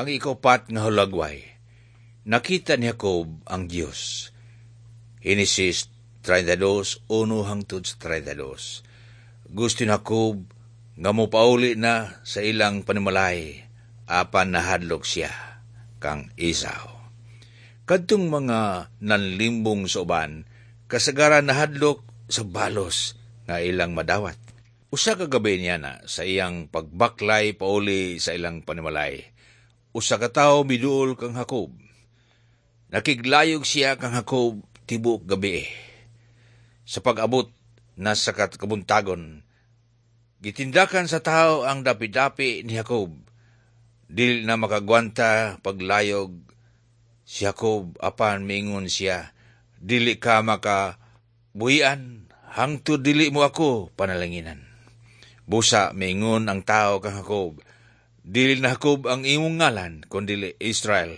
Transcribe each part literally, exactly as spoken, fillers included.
Ang ikaupat nga hulagway, nakita ni Jacob ang Dios. Henesis trentadós, uno hangtod sa trentadós. Gusto ni Jacob nga mopauli na sa ilang panimalay, apan nahadlok siya kang Esau. Kadtong mga nanlimbong sa uban, kasagaran nahadlok sa balos nga ilang madawat. Usa ka gabi niya na sa iyang pagbaklay pauli sa ilang panimalay, usa ka tawo miduol kang Jacob. Nakiglayog siya kang Jacob tibuok gabi. Sa pag-abot na sa kabuntagon, gitindakan sa tao ang dapi-dapi ni Jacob. Dili na makagwanta paglayog si Jacob, apan miingon siya, "Dili ka makabuhian hangtod dili mo ako panalanginan." Busa miingon ang tao kang Jacob, "Dili na Jacob ang imong ngalan, kundili Israel."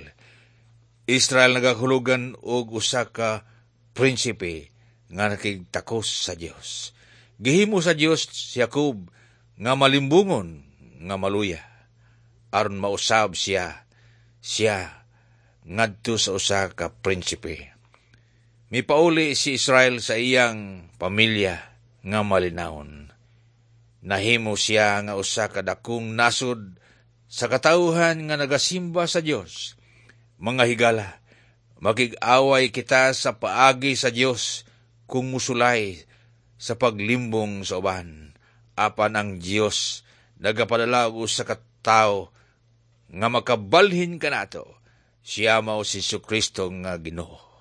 Israel nagahulugan og usa ka prinsipe nga nakigtakos sa Dios. Gihimo sa Dios si Jacob nga malimbungon nga maluya aron mausab siya siya ngadto sa usa ka prinsipe. Mipauli si Israel sa iyang pamilya nga malinawon. Nahimo siya nga usa ka dakong nasod sa katawhan nga nagasimba sa Dios. Mga higala, makig-away kita sa paagi sa Dios kung musulay sa paglimbong sa uban. Apan ang Dios nagapadala og usa ka tawo nga makabalhin kanato. Siya mao si Kristo nga Ginoo.